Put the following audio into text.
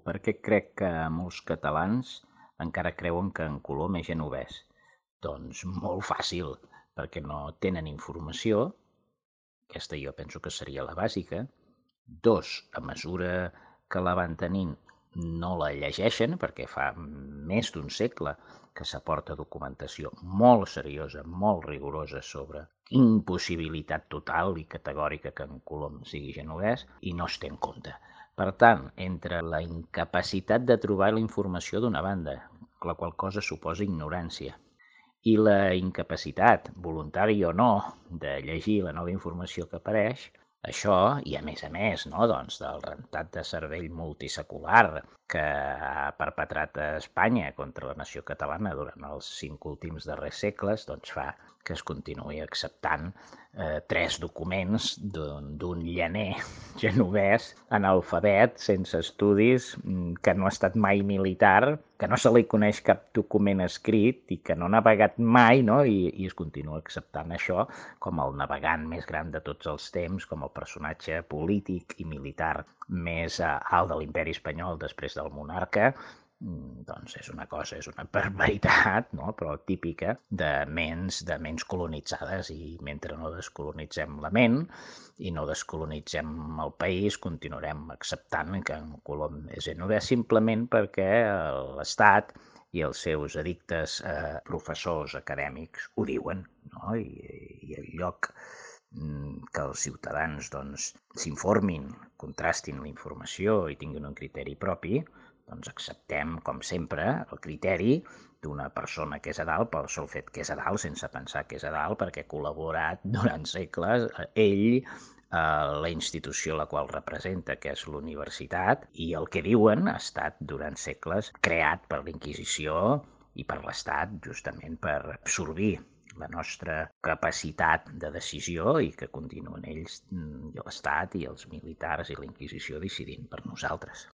Per què crec que molts catalans encara creuen que en Colom és genovès? Doncs molt fàcil, perquè no tenen informació, aquesta jo penso que seria la bàsica. Dos, a mesura que la van tenint no la llegeixen, perquè fa més d'un segle que s'aporta documentació molt seriosa, molt rigorosa sobre impossibilitat total i categòrica que en Colom sigui genovès i no es té en compte. Per tant, entre la incapacitat de trobar la informació d'una banda, la qual cosa suposa ignorància, i la incapacitat, voluntària o no, de llegir la nova informació que apareix, això, i a més, no, doncs, del rentat de cervell multisecular que ha perpetrat a Espanya contra la nació catalana durant els 5 últims darrers segles, doncs fa que es continuï acceptant 3 documents d'un llaner genovès analfabet, sense estudis, que no ha estat mai militar, que no se li coneix cap document escrit i que no ha navegat mai, no? I es continua acceptant això com el navegant més gran de tots els temps, com el personatge polític i militar més alt de l'imperi espanyol després del monarca. Doncs és una barbaritat, no? Però típica de ments colonitzades, i mentre no descolonitzem la ment i no descolonitzem el país, continuarem acceptant que en Colom és genovès simplement perquè l'Estat i els seus addictes professors acadèmics ho diuen, no? I en lloc que els ciutadans s'informin, contrastin la informació i tinguin un criteri propi, doncs acceptem, com sempre, el criteri d'una persona que és a dalt pel sol fet que és a dalt, sense pensar que és a dalt, perquè ha col·laborat durant segles, ell, la institució a la qual representa, que és l'universitat, i el que diuen ha estat durant segles creat per la Inquisició i per l'Estat, justament per absorbir la nostra capacitat de decisió i que continuen ells, l'Estat i els militars i la Inquisició decidint per nosaltres.